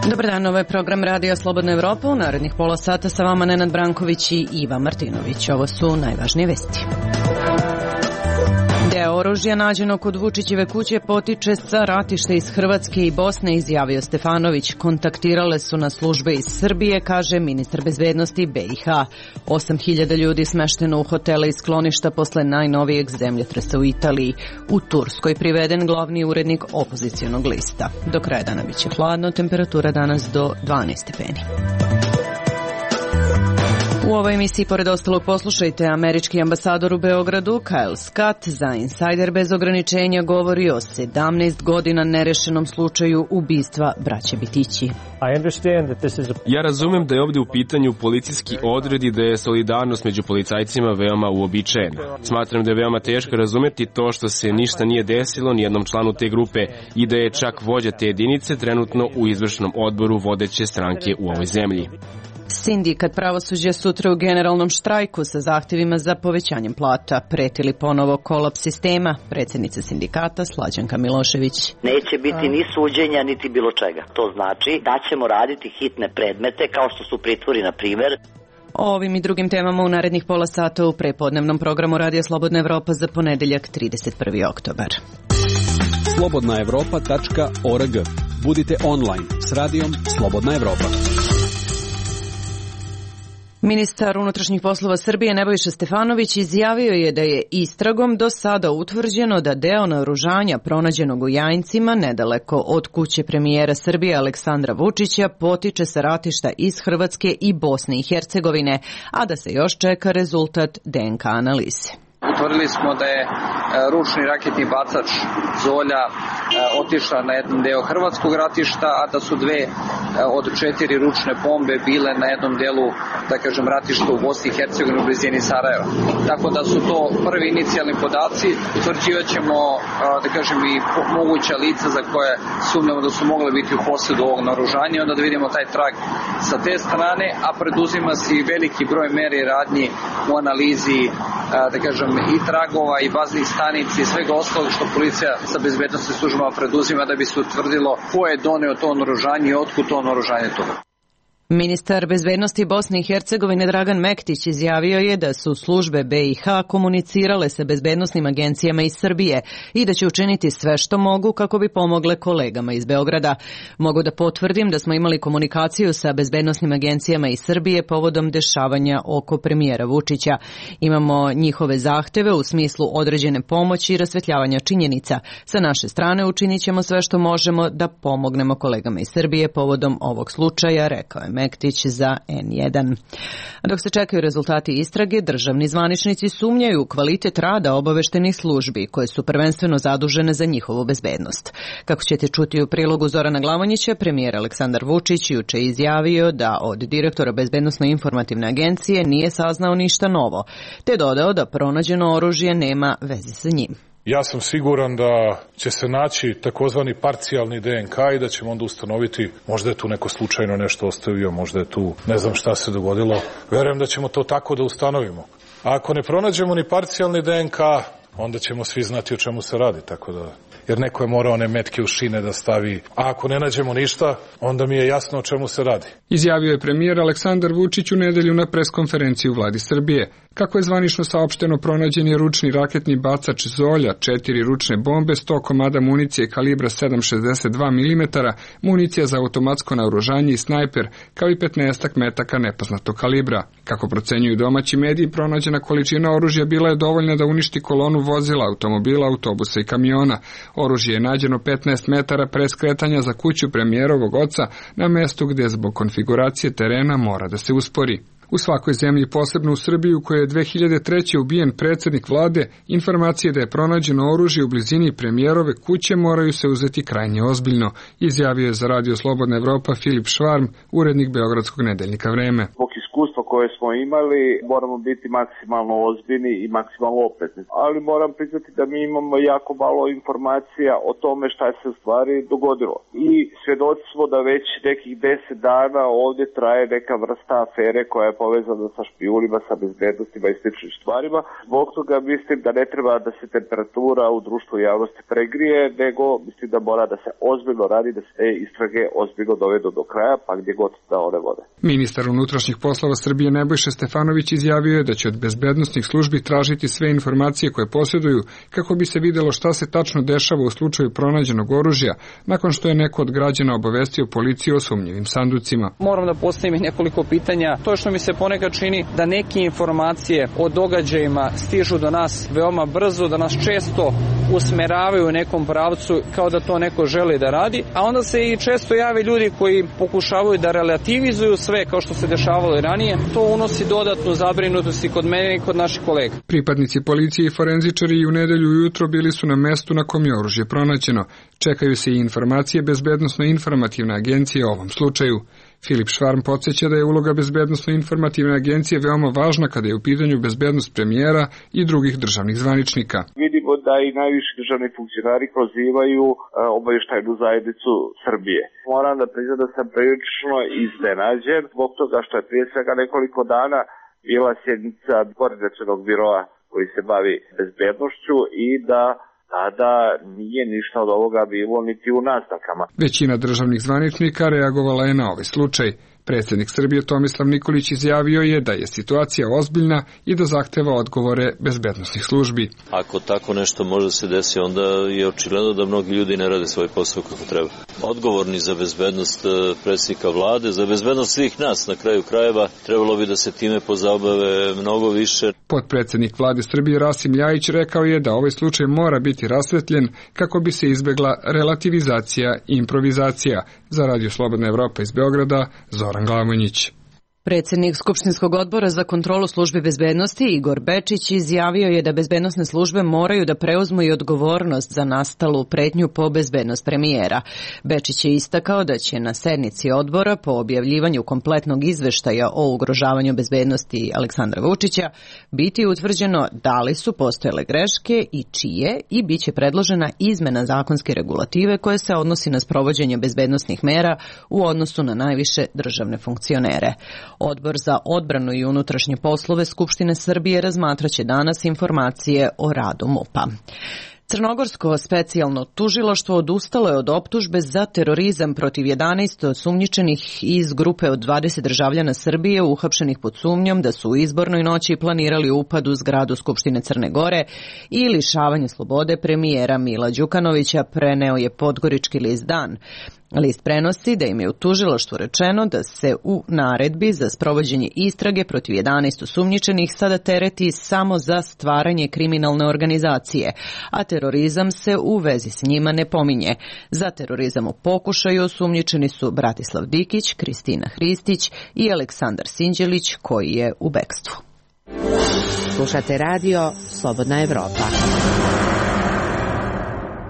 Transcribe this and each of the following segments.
Dobar dan, ovo je program Radija Slobodna Evropa. U narednih pola sata sa vama Nenad Branković i Iva Martinović. Ovo su najvažnije vesti. Deo oružja nađeno kod Vučićeve kuće potiče sa ratišta iz Hrvatske i Bosne, izjavio Stefanović. Kontaktirale su na službe iz Srbije, kaže ministar bezbednosti BiH. 8.000 ljudi smešteno u hotele i skloništa posle najnovijeg zemljotresa u Italiji. U Turskoj priveden glavni urednik opozicionog lista. Do kraja dana biće hladno, temperatura danas do 12 stepeni. U ovoj emisiji, pored ostalog, poslušajte, američki ambasador u Beogradu, Kyle Scott, za Insider bez ograničenja govori o 17 godina nerešenom slučaju ubistva braće Bitići. Ja razumem da je ovdje u pitanju policijski odred i da je solidarnost među policajcima veoma uobičajena. Smatram da je veoma teško razumeti to što se ništa nije desilo ni jednom članu te grupe i da je čak vođa te jedinice trenutno u izvršnom odboru vodeće stranke u ovoj zemlji. Sindikat pravosuđa sutra u generalnom štrajku sa zahtjevima za povećanjem plata. Pretili ponovo kolaps sistema. Predsjednica sindikata Slađanka Milošević. Neće biti ni suđenja, niti bilo čega. To znači da ćemo raditi hitne predmete, kao što su pritvori, na primjer. O ovim i drugim temama u narednih pola sata u prepodnevnom programu Radija Slobodna Evropa za ponedeljak 31. oktobar. slobodnaevropa.org. Budite online s radijom Slobodna Evropa. Ministar unutrašnjih poslova Srbije Nebojša Stefanović izjavio je da je istragom do sada utvrđeno da deo naoružanja pronađenog u Jajincima, nedaleko od kuće premijera Srbije Aleksandra Vučića, potiče sa ratišta iz Hrvatske i Bosne i Hercegovine, a da se još čeka rezultat DNK analize. Utvrdili smo da je ručni raketni bacač Zolja otišla na jedan deo hrvatskog ratišta, a da su 2 od 4 ručne bombe bile na jednom delu, da kažem, ratišta u Bosni i Hercegovini u blizini Sarajeva. Tako da su to prvi inicijalni podaci. Utvrđivat ćemo, da kažem, i moguća lica za koje sumnjamo da su mogle biti u posjedu ovog naoružanja i onda da vidimo taj trag sa te strane, a preduzima se i veliki broj meri i radnji u analizi, da kažem, i tragova i baznih stanica i svega ostalog što policija sa bezbednosnim službama preduzima da bi se utvrdilo ko je doneo to naoružanje i otkud to naoružanje toga. Ministar bezbednosti Bosne i Hercegovine Dragan Mektić izjavio je da su službe BiH komunicirale sa bezbednosnim agencijama iz Srbije i da će učiniti sve što mogu kako bi pomogle kolegama iz Beograda. Mogu da potvrdim da smo imali komunikaciju sa bezbednosnim agencijama iz Srbije povodom dešavanja oko premijera Vučića. Imamo njihove zahteve u smislu određene pomoći i rasvetljavanja činjenica. Sa naše strane učinit ćemo sve što možemo da pomognemo kolegama iz Srbije povodom ovog slučaja, rekao je Mektić za N1. Dok se čekaju rezultati istrage, državni zvaničnici sumnjaju u kvalitet rada obaveštenih službi, koje su prvenstveno zadužene za njihovu bezbednost. Kako ćete čuti u prilogu Zorana Glavonjića, premijer Aleksandar Vučić juče izjavio da od direktora Bezbednosno-informativne agencije nije saznao ništa novo, te dodao da pronađeno oružje nema veze sa njim. Ja sam siguran da će se naći takozvani parcijalni DNK i da ćemo onda ustanoviti, možda je tu neko slučajno nešto ostavio, možda je tu ne znam šta se dogodilo. Verujem da ćemo to tako da ustanovimo. A ako ne pronađemo ni parcijalni DNK, onda ćemo svi znati o čemu se radi, tako da, jer neko je morao one metke u šine da stavi, a ako ne nađemo ništa, onda mi je jasno o čemu se radi. Izjavio je premijer Aleksandar Vučić u nedelju na preskonferenciji u vladi Srbije. Kako je zvanično saopšteno, pronađen je ručni raketni bacač Zolja, 4 ručne bombe, 100 komada municije kalibra 7,62 mm, municija za automatsko naoružanje i snajper, kao i 15 metaka nepoznatog kalibra. Kako procenjuju domaći mediji, pronađena količina oružja bila je dovoljna da uništi kolonu vozila, automobila, autobusa i kamiona. Oružje je nađeno 15 metara pre skretanja za kuću premijerovog oca na mestu gdje zbog konfiguracije terena mora da se uspori. U svakoj zemlji, posebno u Srbiji u kojoj je 2003. ubijen predsjednik vlade, informacije da je pronađeno oružje u blizini premijerove kuće moraju se uzeti krajnje ozbiljno, izjavio je za Radio Slobodna Evropa Filip Švarm, urednik beogradskog nedeljnika Vreme. Zbog iskustva koje koje smo imali, moramo biti maksimalno ozbiljni i maksimalno oprezni. Ali moram priznati da mi imamo jako malo informacija o tome šta se u stvari dogodilo. I svjedoci smo da već nekih 10 dana ovdje traje neka vrsta afere koja je povezana sa špijunima, sa bezbednostima i sličnim stvarima. Zbog toga mislim da ne treba da se temperatura u društvu i javnosti pregrije, nego mislim da mora da se ozbiljno radi, da se te istrage ozbiljno dovedu do kraja, pa gdje god da one vode. Ministar unutrašnjih poslova Srbije Nebojša Stefanović izjavio je da će od bezbednosnih službi tražiti sve informacije koje posjeduju kako bi se videlo šta se tačno dešava u slučaju pronađenog oružja nakon što je neko od građana obavestio policiju o sumnjivim sanducima. Moram da postavim nekoliko pitanja. To što mi se ponekad čini da neke informacije o događajima stižu do nas veoma brzo, da nas često usmeravaju u nekom pravcu kao da to neko želi da radi, a onda se i često jave ljudi koji pokušavaju da relativizuju sve kao što se dešavalo i ranije. To unosi dodatnu zabrinutost i kod mene i kod naših kolega. Pripadnici policije i forenzičari i u nedelju ujutro bili su na mestu na kom je oružje pronađeno. Čekaju se i informacije Bezbednosno-informativne agencije o ovom slučaju. Filip Švarm podsjeća da je uloga Bezbednosno-informativne agencije veoma važna kada je u pitanju bezbednost premijera i drugih državnih zvaničnika. Vidimo da i najviši državni funkcionari prozivaju obavještajnu zajednicu Srbije. Moram da priznam da sam prilično iznenađen zbog toga što je prije svega nekoliko dana bila sjednica koordinacionog biroa koji se bavi bezbednošću i da tada nije ništa od ovoga bilo niti u naznakama. Većina državnih zvaničnika reagovala je na ovaj slučaj. Predsjednik Srbije Tomislav Nikolić izjavio je da je situacija ozbiljna i da zahteva odgovore bezbednosnih službi. Ako tako nešto može se desiti, onda je očigledno da mnogi ljudi ne rade svoj posao kako treba. Odgovorni za bezbednost predsjednika vlade, za bezbednost svih nas na kraju krajeva, trebalo bi da se time pozabave mnogo više. Potpredsjednik vlade Srbije Rasim Ljajić rekao je da ovaj slučaj mora biti rasvetljen kako bi se izbegla relativizacija i improvizacija. Za Radio Slobodna Evropa iz Beograda, Zoran Glamonjić. Predsjednik Skupštinskog odbora za kontrolu službi bezbednosti Igor Bečić izjavio je da bezbednosne službe moraju da preuzmu i odgovornost za nastalu pretnju po bezbednost premijera. Bečić je istakao da će na sednici odbora po objavljivanju kompletnog izveštaja o ugrožavanju bezbednosti Aleksandra Vučića biti utvrđeno da li su postojale greške i čije i bit će predložena izmena zakonske regulative koje se odnosi na sprovođenje bezbednosnih mera u odnosu na najviše državne funkcionere. Odbor za odbranu i unutrašnje poslove Skupštine Srbije razmatraće danas informacije o radu MUP-a. Crnogorsko specijalno tužilaštvo odustalo je od optužbe za terorizam protiv 11 osumnjičenih iz grupe od 20 državljana Srbije uhapšenih pod sumnjom da su u izbornoj noći planirali upad u zgradu Skupštine Crne Gore i lišavanje slobode premijera Mila Đukanovića, preneo je podgorički list Dan. List prenosi da im je u tužilaštvu rečeno da se u naredbi za sprovođenje istrage protiv 11 osumnjičenih sada tereti samo za stvaranje kriminalne organizacije, a terorizam se u vezi s njima ne pominje. Za terorizam u pokušaju osumnjičeni su Bratislav Dikić, Kristina Hristić i Aleksandar Sinđelić, koji je u bekstvu. Slušate radio Slobodna Evropa.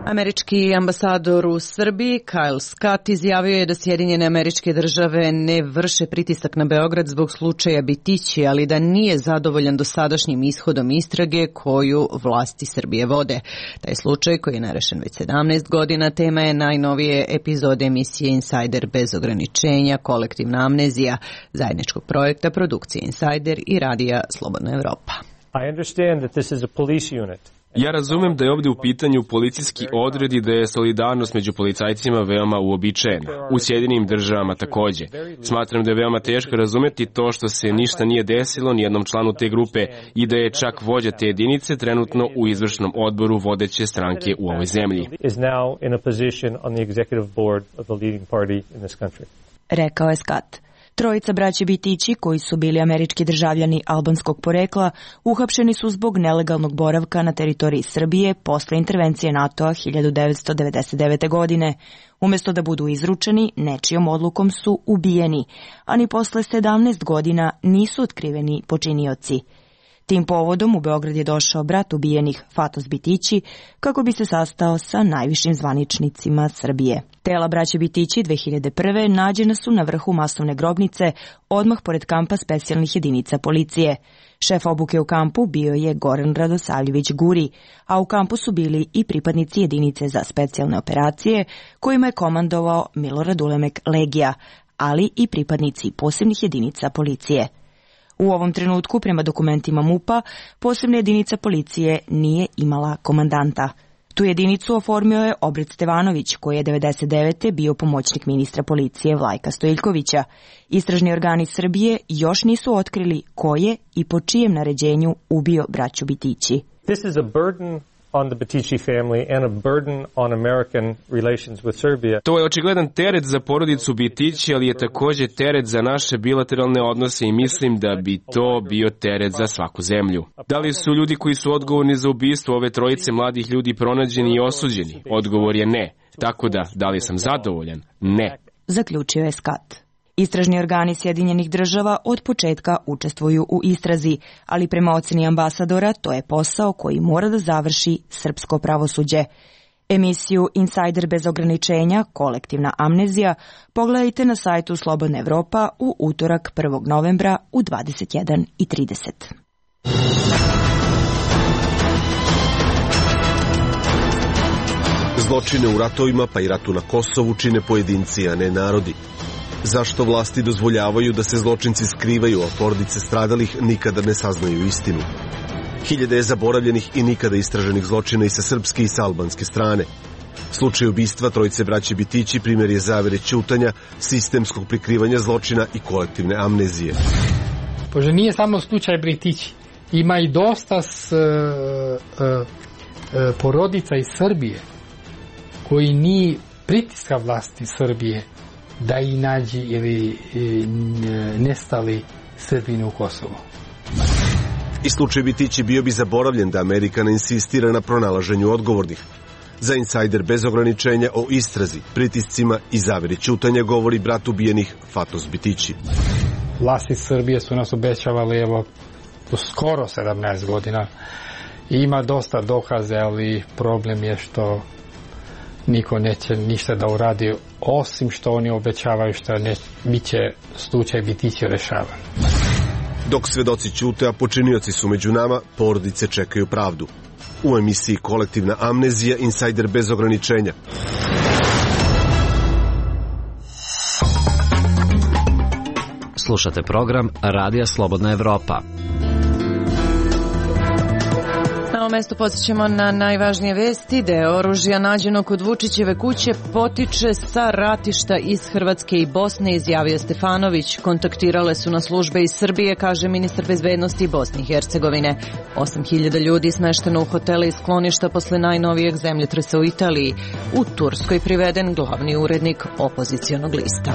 Američki ambasador u Srbiji, Kyle Scott, izjavio je da Sjedinjene Američke Države ne vrše pritisak na Beograd zbog slučaja Bitići, ali da nije zadovoljan dosadašnjim ishodom istrage koju vlasti Srbije vode. Taj slučaj, koji je nerešen već 17 godina, tema je najnovije epizode emisije Insider bez ograničenja, kolektivna amnezija, zajedničkog projekta produkcije Insider i radija Slobodna Evropa. I understand that this is a police unit. Ja razumem da je ovdje u pitanju policijski odred i da je solidarnost među policajcima veoma uobičajena. U Sjedinim Državama takođe. Smatram da je veoma teško razumeti to što se ništa nije desilo ni jednom članu te grupe i da je čak vođa te jedinice trenutno u izvršnom odboru vodeće stranke u ovoj zemlji. Rekao je Scott. Trojica braće Bitići, koji su bili američki državljani albanskog porekla, uhapšeni su zbog nelegalnog boravka na teritoriji Srbije posle intervencije NATO-a 1999. godine. Umjesto da budu izručeni, nečijom odlukom su ubijeni, a ni posle 17 godina nisu otkriveni počinioci. Tim povodom u Beograd je došao brat ubijenih Fatos Bitići kako bi se sastao sa najvišim zvaničnicima Srbije. Tela braće Bitići 2001. nađena su na vrhu masovne grobnice odmah pored kampa specijalnih jedinica policije. Šef obuke u kampu bio je Goran Radosavljević Guri, a u kampu su bili i pripadnici jedinice za specijalne operacije kojima je komandovao Milorad Ulemek Legija, ali i pripadnici posebnih jedinica policije. U ovom trenutku, prema dokumentima MUP-a, posebna jedinica policije nije imala komandanta. Tu jedinicu oformio je Obred Stevanović, koji je 1999. bio pomoćnik ministra policije Vlajka Stojiljkovića. Istražni organi Srbije još nisu otkrili ko je i po čijem naređenju ubio braću Bitići. This is a burden on the Bitići family and a burden on American relations with Serbia. To je očigledan teret za porodicu Bitići, ali je takođe teret za naše bilateralne odnose i mislim da bi to bio teret za svaku zemlju. Da li su ljudi koji su odgovorni za ubistvo ove trojice mladih ljudi pronađeni i osuđeni? Odgovor je ne. Tako da li sam zadovoljan? Ne. Zaključio je Scott. Istražni organi Sjedinjenih država od početka učestvuju u istrazi, ali prema oceni ambasadora to je posao koji mora da završi srpsko pravosuđe. Emisiju Insider bez ograničenja, kolektivna amnezija, pogledajte na sajtu Slobodna Evropa u utorak 1. novembra u 21:30. Zločine u ratovima pa i ratu na Kosovu čine pojedinci, a ne narodi. Zašto vlasti dozvoljavaju da se zločinci skrivaju, a porodice stradalih nikada ne saznaju istinu? Hiljade je zaboravljenih i nikada istraženih zločina i sa srpske i sa albanske strane. Slučaj ubistva trojice braće Bitići primjer je zavere ćutanja, sistemskog prikrivanja zločina i kolektivne amnezije. Pože nije samo slučaj Bitići. Ima i dosta porodica iz Srbije koji ni pritiska vlasti Srbije da i nađi ili nestali Srbini u Kosovu. I slučaj Bitići bio bi zaboravljen da Amerika ne insistira na pronalaženju odgovornih. Za Insider bez ograničenja o istrazi, pritiscima i zaveri ćutanja govori brat ubijenih Fatos Bitići. Vlasti Srbije su nas obećavali evo skoro 17 godina. Ima dosta dokaze, ali problem je što niko neće ništa da uradi, osim što oni obećavaju što biće slučaj Bitići rešavan. Dok svedoci ćute, a počinioci su među nama, porodice čekaju pravdu. U emisiji Kolektivna amnezija, Insider bez ograničenja. Slušate program Radija Slobodna Evropa. Na ovom mestu podsjećamo na najvažnije vesti. Deo oružja nađeno kod Vučićeve kuće potiče sa ratišta iz Hrvatske i Bosne, izjavio Stefanović. Kontaktirale su na službe iz Srbije, kaže ministar bezbednosti Bosne i Hercegovine. 8.000 ljudi smešteno u hotele i skloništa posle najnovijeg zemljotresa u Italiji. U Turskoj priveden glavni urednik opozicionog lista.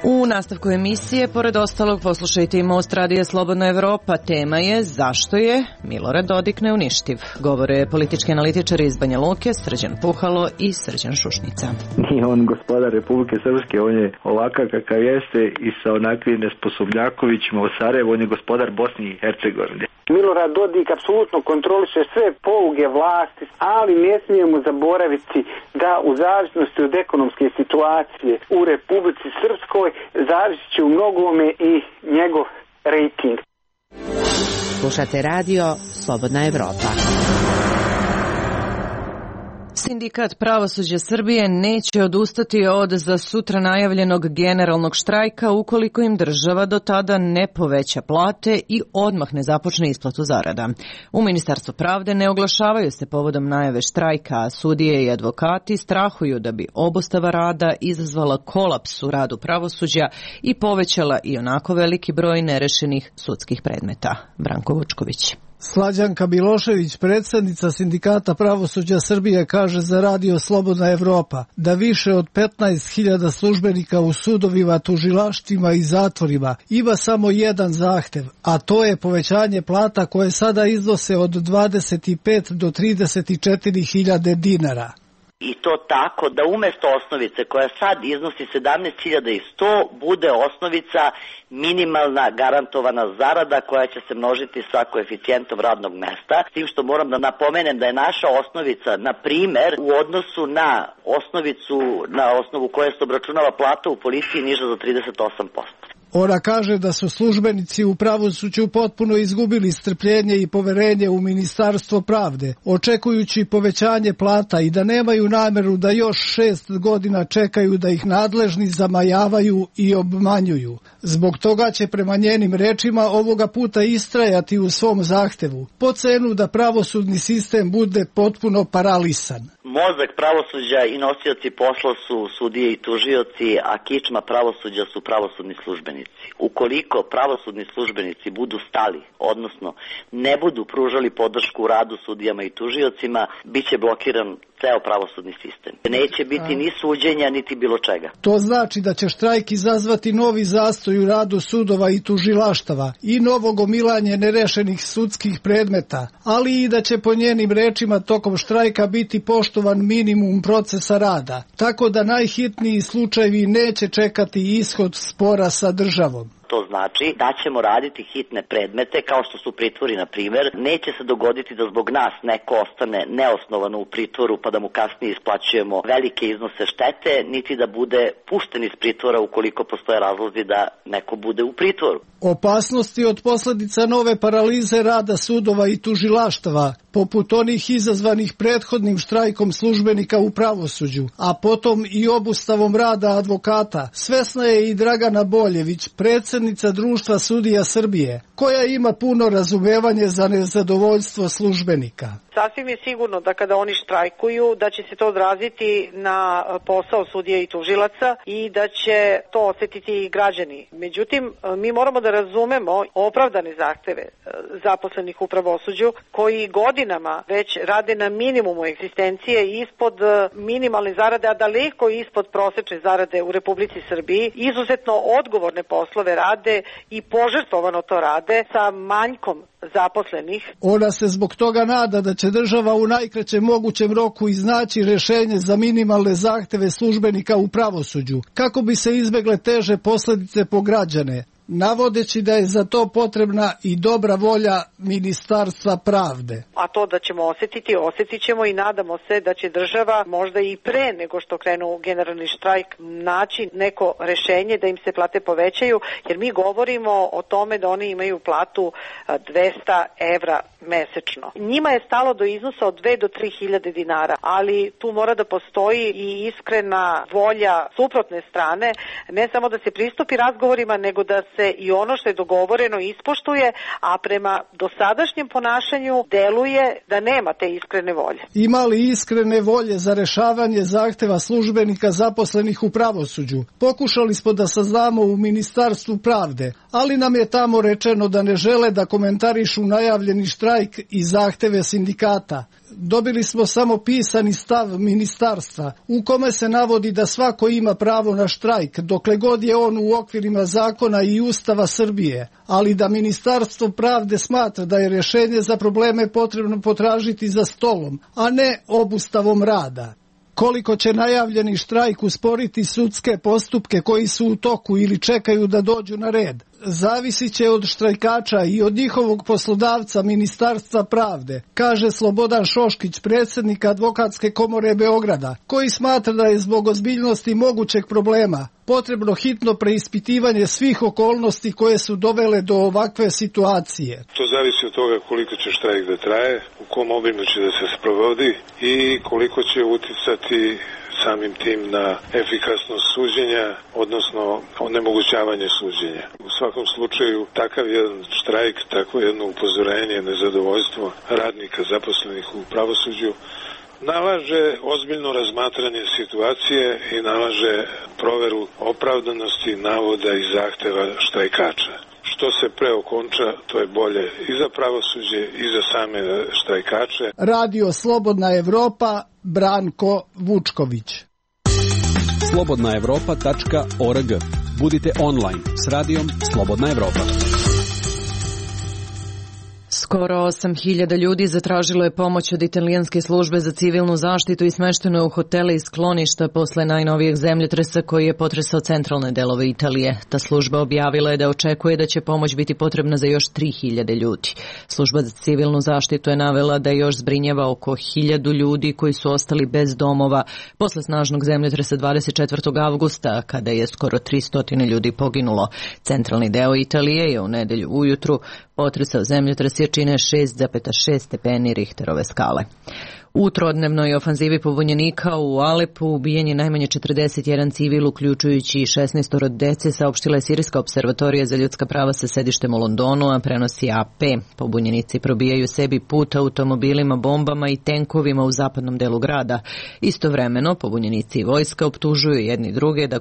U nastavku emisije, pored ostalog, poslušajte i Most Radija Slobodna Evropa. Tema je zašto je Milorad Dodik neuništiv. Govore politički analitičari iz Banja Luke, Srđan Puhalo i Srđan Šušnica. Nije on gospodar Republike Srpske, on je ovakav kakav jeste i sa onakvim nesposobnjakovićima u Sarajevu, on je gospodar Bosne i Hercegovine. Milorad Dodik apsolutno kontroliše sve poluge vlasti, ali ne smijemo zaboraviti da u zavisnosti od ekonomske situacije u Republici Srpskoj zavisit će u mnogome i njegov rejting. Slušate radio Slobodna Evropa. Sindikat pravosuđa Srbije neće odustati od za sutra najavljenog generalnog štrajka ukoliko im država do tada ne poveća plate i odmah ne započne isplatu zarada. U Ministarstvu pravde ne oglašavaju se povodom najave štrajka, a sudije i advokati strahuju da bi obustava rada izazvala kolaps u radu pravosuđa i povećala i onako veliki broj nerešenih sudskih predmeta. Branko Vučković. Slađanka Milošević, predsjednica Sindikata pravosuđa Srbije, kaže za Radio Slobodna Evropa da više od 15.000 službenika u sudovima, tužilaštvima i zatvorima ima samo jedan zahtev, a to je povećanje plata koje sada iznose od 25 do 34.000 dinara. I to tako da umesto osnovice koja sad iznosi 17.100 bude osnovica minimalna garantovana zarada koja će se množiti sa koeficijentom radnog mesta. S tim što moram da napomenem da je naša osnovica, na primer, u odnosu na osnovicu na osnovu koje se obračunava plata u policiji niža za 38%. Ona kaže da su službenici u pravosuđu potpuno izgubili strpljenje i poverenje u Ministarstvo pravde, očekujući povećanje plata i da nemaju nameru da još 6 godina čekaju da ih nadležni zamajavaju i obmanjuju. Zbog toga će prema njenim rečima ovoga puta istrajati u svom zahtevu, po cenu da pravosudni sistem bude potpuno paralisan. Mozak pravosuđa i nosioci posla su sudije i tužioci, a kičma pravosuđa su pravosudni službenici. Ukoliko pravosudni službenici budu stali, odnosno ne budu pružali podršku u radu sudijama i tužiocima, bit će blokiran ceo pravosudni sistem. Neće biti ni suđenja, niti bilo čega. To znači da će štrajk izazvati novi zastoj u radu sudova i tužilaštava i novo gomilanje nerešenih sudskih predmeta, ali i da će po njenim rečima tokom štrajka biti poštovan minimum procesa rada, tako da najhitniji slučajevi neće čekati ishod spora sa državom. To znači da ćemo raditi hitne predmete, kao što su pritvori, na primjer. Neće se dogoditi da zbog nas neko ostane neosnovano u pritvoru pa da mu kasnije isplaćujemo velike iznose štete, niti da bude pušten iz pritvora ukoliko postoje razlozi da neko bude u pritvoru. Opasnosti od posledica nove paralize rada sudova i tužilaštava, poput onih izazvanih prethodnim štrajkom službenika u pravosuđu, a potom i obustavom rada advokata, svesna je i Dragana Boljević, predsjednica Društva sudija Srbije, koja ima puno razumevanje za nezadovoljstvo službenika. Sasvim je sigurno da kada oni štrajkuju, da će se to odraziti na posao sudija i tužilaca i da će to osjetiti i građani. Međutim, mi moramo da razumemo opravdane zahteve zaposlenih u pravosuđu koji godinama već rade na minimumu egzistencije, ispod minimalne zarade, a daleko ispod prosečne zarade u Republici Srbiji. Izuzetno odgovorne poslove rade i požrtvovano to rade sa manjkom zaposlenih. Ona se zbog toga nada da će država u najkraćem mogućem roku iznaći rešenje za minimalne zahteve službenika u pravosuđu, kako bi se izbegle teže posledice po građane, navodeći da je za to potrebna i dobra volja Ministarstva pravde. A to da ćemo osjetit ćemo i nadamo se da će država možda i pre nego što krenu generalni štrajk naći neko rešenje da im se plate povećaju, jer mi govorimo o tome da oni imaju platu 200 evra mesečno. Njima je stalo do iznosa od 2 do 3 hiljade dinara, ali tu mora da postoji i iskrena volja suprotne strane, ne samo da se pristupi razgovorima, nego da se i ono što je dogovoreno ispoštuje, a prema dosadašnjem ponašanju deluje da nema te iskrene volje. Ima li iskrene volje za rešavanje zahteva službenika zaposlenih u pravosuđu? Pokušali smo da saznamo u Ministarstvu pravde, ali nam je tamo rečeno da ne žele da komentarišu najavljeni štrajk i zahteve sindikata. Dobili smo samo pisani stav ministarstva u kome se navodi da svako ima pravo na štrajk dokle god je on u okvirima zakona i Ustava Srbije, ali da Ministarstvo pravde smatra da je rješenje za probleme potrebno potražiti za stolom, a ne obustavom rada. Koliko će najavljeni štrajk usporiti sudske postupke koji su u toku ili čekaju da dođu na red, zavisit će od štrajkača i od njihovog poslodavca Ministarstva pravde, kaže Slobodan Šoškić, predsjednik Advokatske komore Beograda, koji smatra da je zbog ozbiljnosti mogućeg problema potrebno hitno preispitivanje svih okolnosti koje su dovele do ovakve situacije. To zavisi od toga koliko će štrajk da traje, u kom obimu će da se sprovodi i koliko će uticati samim tim na efikasnost suđenja, odnosno onemogućavanje suđenja. U svakom slučaju takav jedan štrajk, takvo jedno upozorenje, nezadovoljstvo radnika zaposlenih u pravosuđu nalaže ozbiljno razmatranje situacije i nalaže proveru opravdanosti navoda i zahteva štrajkača. Što se pre okonča, to je bolje i za pravosuđe i za same štrajkače. Radio Slobodna Evropa, Branko Vučković. slobodnaevropa.org. Budite online s radijom Slobodna Evropa. Skoro 8.000 ljudi zatražilo je pomoć od italijanske službe za civilnu zaštitu i smešteno je u hotele i skloništa posle najnovijeg zemljotresa koji je potresao centralne delove Italije. Ta služba objavila je da očekuje da će pomoć biti potrebna za još 3.000 ljudi. Služba za civilnu zaštitu je navela da još zbrinjava oko 1.000 ljudi koji su ostali bez domova posle snažnog zemljotresa 24. avgusta, kada je skoro 300 ljudi poginulo. Centralni deo Italije je u nedelju ujutru potresao zemljotres jačine 6,6 stepeni Richterove skale. U trodnevnoj ofanzivi pobunjenika u Alepu ubijen je najmanje 41 civil, uključujući 16 dece, saopštila je Sirijska observatorija za ljudska prava sa sedištem u Londonu, a prenosi AP. Pobunjenici probijaju sebi put automobilima, bombama i tenkovima u zapadnom delu grada. Istovremeno, pobunjenici i vojska optužuju jedni druge da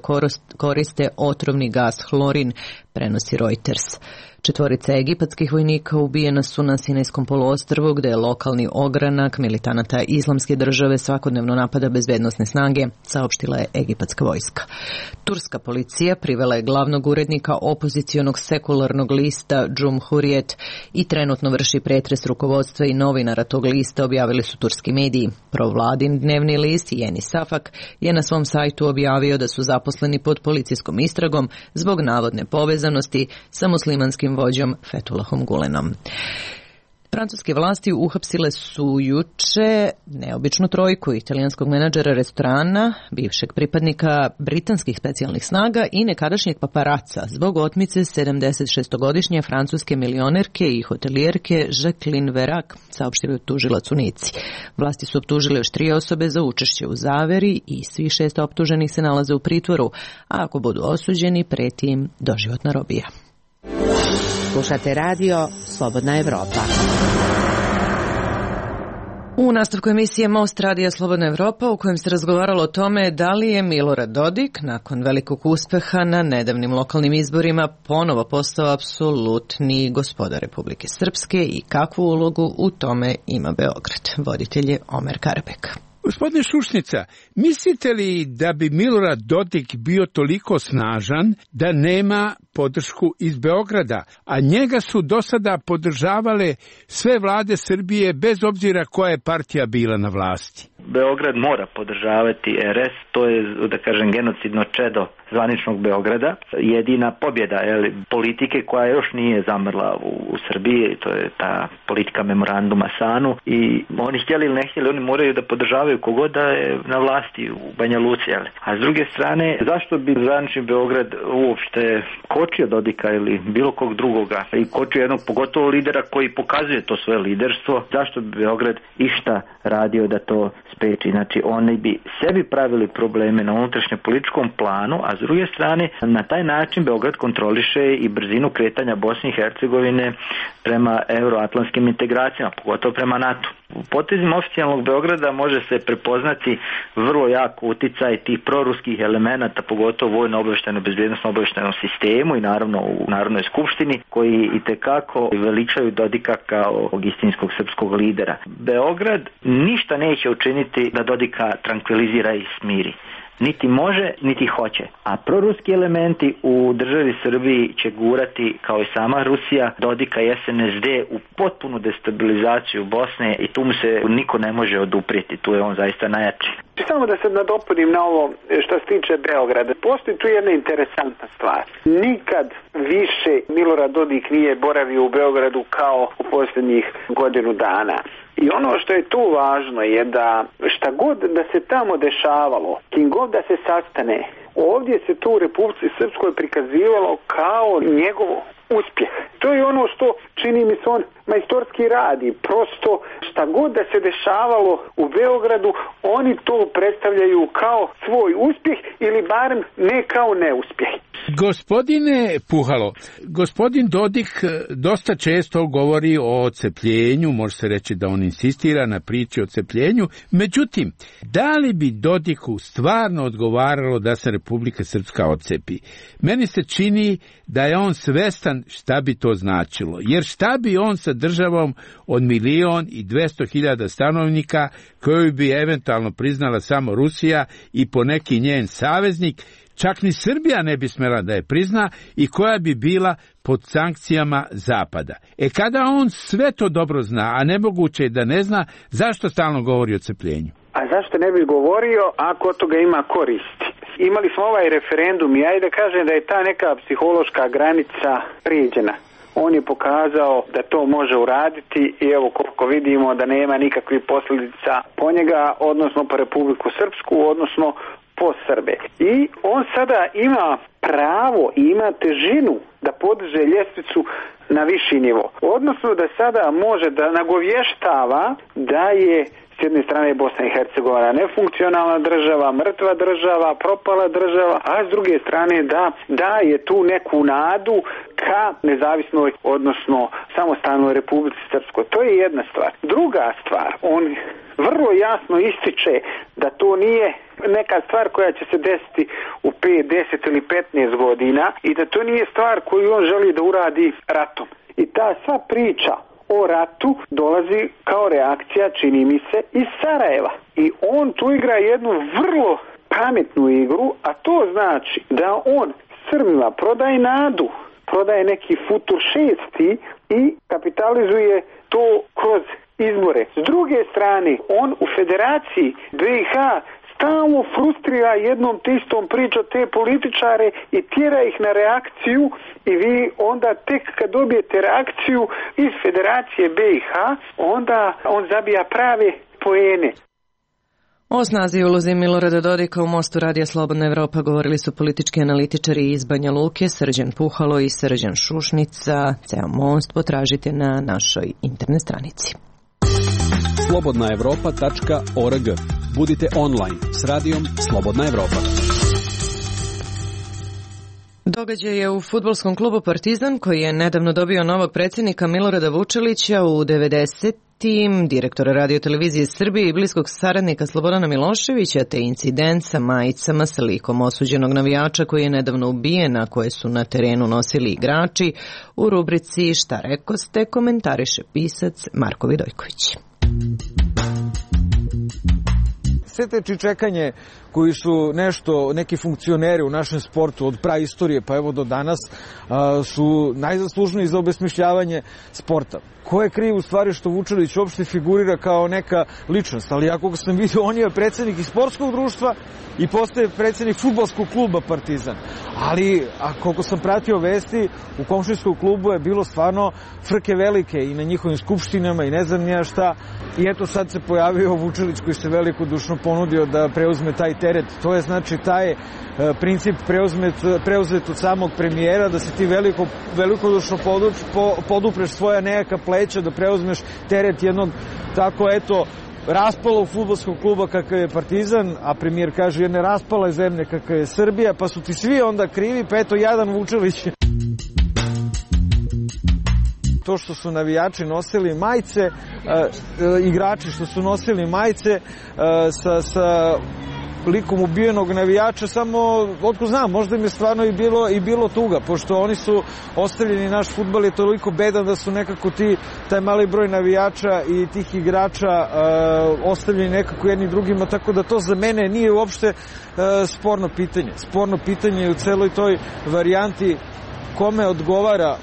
koriste otrovni gas hlorin, prenosi Reuters. 4 egipatskih vojnika ubijena su na Sinajskom poluostrvu, gde je lokalni ogranak militanata Islamske države svakodnevno napada bezbednosne snage, saopštila je egipatska vojska. Turska policija privela je glavnog urednika opozicionog sekularnog lista Cumhuriyet i trenutno vrši pretres rukovodstva i novinara tog lista, objavili su turski mediji. Provladin dnevni list Yeni Safak je na svom sajtu objavio da su zaposleni pod policijskom istragom zbog navodne povezanosti sa muslimanskim vođom Fethullahom Gulenom. Francuske vlasti uhapsile su juče neobičnu trojku italijanskog menadžera restorana, bivšeg pripadnika britanskih specijalnih snaga i nekadašnjeg paparaca zbog otmice 76-godišnje francuske milionerke i hotelijerke Jacqueline Verac, saopštili tužilac u Nici. Vlasti su optužile još 3 osobe za učešće u zaveri i svih 6 optuženih se nalaze u pritvoru, a ako budu osuđeni, preti im doživotna robija. Slušate radio Slobodna Evropa. U nastavku emisije Most radija Slobodna Evropa, u kojem se razgovaralo o tome da li je Milorad Dodik nakon velikog uspeha na nedavnim lokalnim izborima ponovo postao apsolutni gospodar Republike Srpske i kakvu ulogu u tome ima Beograd. Voditelj je Omer Karabek. Gospodine Šušnica, mislite li da bi Milorad Dodik bio toliko snažan da nema podršku iz Beograda, a njega su do sada podržavale sve vlade Srbije bez obzira koja je partija bila na vlasti? Beograd mora podržavati RS, to je, da kažem, genocidno čedo zvaničnog Beograda. Jedina pobjeda politike koja još nije zamrla u Srbiji, to je ta politika memoranduma SANU, i oni htjeli ili ne htjeli, oni moraju da podržavaju kogod da je na vlasti u Banja Luci. A s druge strane, zašto bi zvanični Beograd uopšte kočio Dodika ili bilo kog drugoga i kočio jednog pogotovo lidera koji pokazuje to svoje liderstvo, zašto bi Beograd išta radio da to spreči? Znači, oni bi sebi pravili probleme na unutrašnjem političkom planu, a s druge strane, na taj način Beograd kontroliše i brzinu kretanja Bosne i Hercegovine prema euroatlantskim integracijama, pogotovo prema NATO. U potezima oficijalnog Beograda može se prepoznati vrlo jako uticaj tih proruskih elemenata, pogotovo vojno-obavještajno bezbjednosno-obavještajnom sistemu i naravno u Narodnoj skupštini, koji itekako veličaju Dodika kao istinskog srpskog lidera. Beograd ništa neće učiniti da Dodika trankvilizira i smiri. Niti može, niti hoće. A proruski elementi u državi Srbiji će gurati, kao i sama Rusija, Dodika i SNSD u potpunu destabilizaciju Bosne i tu mu se niko ne može oduprijeti. Tu je on zaista najjači. Samo da se nadopunim na ovo što se tiče Beograda. Postoji tu jedna interesantna stvar. Nikad više Milorad Dodik nije boravio u Beogradu kao u posljednjih godinu dana. I ono što je tu važno je da šta god da se tamo dešavalo, kim god da se sastane, ovdje se tu u Republici Srpskoj prikazivalo kao njegov uspjeh. To je ono što čini mi se on majstorski radi. Prosto šta god da se dešavalo u Beogradu, oni to predstavljaju kao svoj uspjeh ili barem ne kao neuspjeh. Gospodine Puhalo, gospodin Dodik dosta često govori o odcepljenju, može se reći da on insistira na priči o odcepljenju, međutim, da li bi Dodiku stvarno odgovaralo da se Republika Srpska odcepi? Meni se čini da je on svestan šta bi to značilo, jer šta bi on sa državom od 1.200.000 stanovnika koju bi eventualno priznala samo Rusija i poneki njen saveznik, čak ni Srbija ne bi smela da je prizna i koja bi bila pod sankcijama Zapada. Kada on sve to dobro zna, a nemoguće je da ne zna, zašto stalno govori o cepljenju? A zašto ne bi govorio ako od toga ima koristi? Imali smo ovaj referendum i ajde da kažem da je ta neka psihološka granica prijeđena. On je pokazao da to može uraditi i evo koliko vidimo da nema nikakvih posljedica po njega, odnosno po Republiku Srpsku, odnosno po Srbe. I on sada ima pravo i ima težinu da podiže ljestvicu na viši nivo. Odnosno da sada može da nagovještava da je s jedne strane Bosna i Hercegovina nefunkcionalna država, mrtva država, propala država, a s druge strane da daje tu neku nadu ka nezavisnoj, odnosno samostalnoj Republici Srpskoj. To je jedna stvar. Druga stvar, on vrlo jasno ističe da to nije neka stvar koja će se desiti u 5, 10 ili 15 godina i da to nije stvar koju on želi da uradi ratom. I ta sva priča o ratu dolazi kao reakcija, čini mi se, iz Sarajeva. I on tu igra jednu vrlo pametnu igru, a to znači da on Srbima prodaje nadu, prodaje neki futur šesti i kapitalizuje to kroz izbore. S druge strane, on u Federaciji BiH stalno frustrira jednom te istom priča te političare i tjera ih na reakciju i vi onda tek kad dobijete reakciju iz Federacije BiH, onda on zabija prave poene. O snazi i ulozi Milorada Dodika u mostu Radija Slobodna Evropa govorili su politički analitičari iz Banja Luke, Srđan Puhalo i Srđan Šušnica. Ceo most potražite na našoj internet stranici. slobodnaevropa.org. Budite online s radijom Slobodna Evropa. Događaj je u fudbalskom klubu Partizan, koji je nedavno dobio novog predsjednika Milorada Vučelića u 90-tim, direktora radiotelevizije Srbije i bliskog saradnika Slobodana Miloševića, te incident sa majicama sa likom osuđenog navijača koji je nedavno ubijen, a koje su na terenu nosili igrači, u rubrici Šta rekoste komentariše pisac Marko Vidojković. Sve te čičekanje koji su neki funkcioneri u našem sportu od praistorije pa evo do danas su najzaslužniji za obesmišljavanje sporta. Ko je kriv u stvari što Vučelić uopšte figurira kao neka ličnost, ali ja koga sam vidio, on je predsjednik i sportskog društva i postaje predsjednik fudbalskog kluba Partizan. Ali, koliko sam pratio vesti, u komšinskom klubu je bilo stvarno frke velike i na njihovim skupštinama i ne znam nija šta. I eto sad se pojavio Vučelić koji se velikodušno ponudio da preuzme taj teret. To je znači taj princip preuzet od samog premijera, da se ti velikodušno podupreš svoja nejaka pleća, da preuzmeš teret jednog tako eto raspalog fudbalskog kluba kakav je Partizan, a premijer kaže jedne raspale zemlje kakav je Srbija, pa su ti svi onda krivi, pa eto jadan Vučelić. To što su navijači nosili majice, igrači što su nosili majice sa likom ubijenog navijača, samo otko znam, možda im je stvarno i bilo tuga, pošto oni su ostavljeni, naš fudbal je toliko bedan da su nekako taj mali broj navijača i tih igrača ostavljeni nekako jedni drugima, tako da to za mene nije uopšte sporno pitanje. Sporno pitanje je u celoj toj varijanti kome odgovara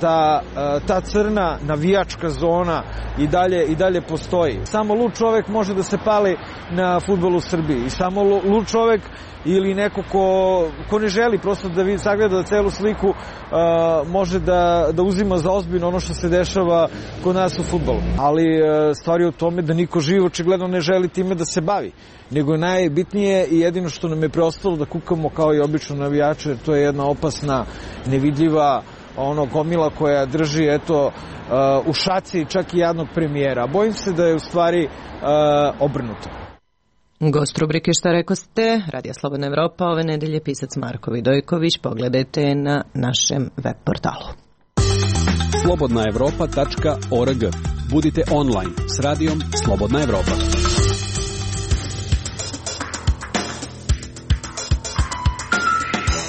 da ta crna navijačka zona i dalje postoji. Samo lud čovek može da se pali na fudbalu u Srbiji i samo lud čovek ili neko ko ne želi prosto da sagleda celu sliku može da uzima za ozbiljno ono što se dešava kod nas u fudbalu. Ali stvar je u tome da niko živ očigledno ne želi time da se bavi. Nego je najbitnije i jedino što nam je preostalo da kukamo kao i obično navijače, jer to je jedna opasna, nevidljiva gomila koja drži u šaci čak i jednog premijera. Bojim se da je u stvari obrnuto. Gost rubrike Šta rekoste, Radija Slobodna Evropa, ove nedelje pisac Marko Vidojković. Pogledajte na našem web portalu. slobodnaevropa.org. Budite online s radijom Slobodna Evropa.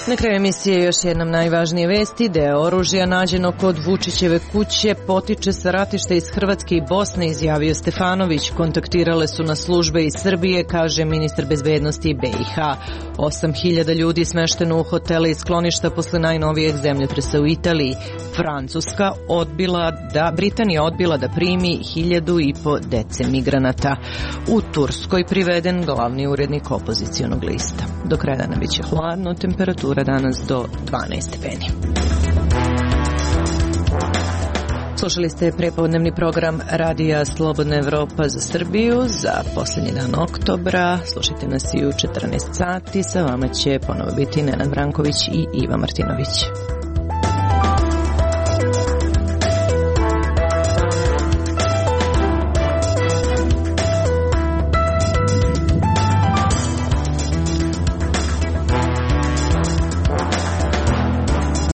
Na kraju emisije još jednom najvažnije vesti. Deo oružja nađeno kod Vučićeve kuće potiče sa ratišta iz Hrvatske i Bosne, izjavio Stefanović. Kontaktirale su na službe iz Srbije, kaže ministar bezbednosti BiH. 8.000 ljudi smešteno u hotele i skloništa posle najnovijeg zemljotresa u Italiji. Britanija odbila da primi 1.500 dece migranata. U Turskoj priveden glavni urednik opozicionog lista. Do kraja dana biće hladno, temperatura danas do 12 stepeni. Slušali ste prepodnevni program Radija Slobodna Evropa za Srbiju za posljednji dan oktobra. Slušajte nas i u 14 sati. Sa vama će ponovo biti Nenad Branković i Iva Martinović.